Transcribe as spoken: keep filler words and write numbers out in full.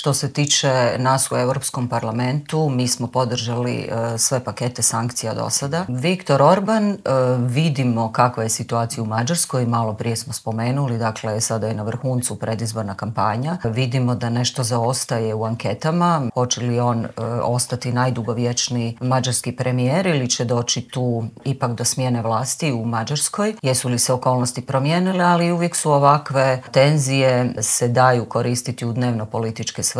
Što se tiče nas u Europskom parlamentu, mi smo podržali sve pakete sankcija do sada. Viktor Orban, vidimo kakva je situacija u Mađarskoj, malo prije smo spomenuli, dakle sada je na vrhuncu predizborna kampanja. Vidimo da nešto zaostaje u anketama, hoće li on ostati najdugovječniji mađarski premijer ili će doći tu ipak do smjene vlasti u Mađarskoj. Jesu li se okolnosti promijenile, ali uvijek su ovakve tenzije se daju koristiti u dnevno političke svrhe.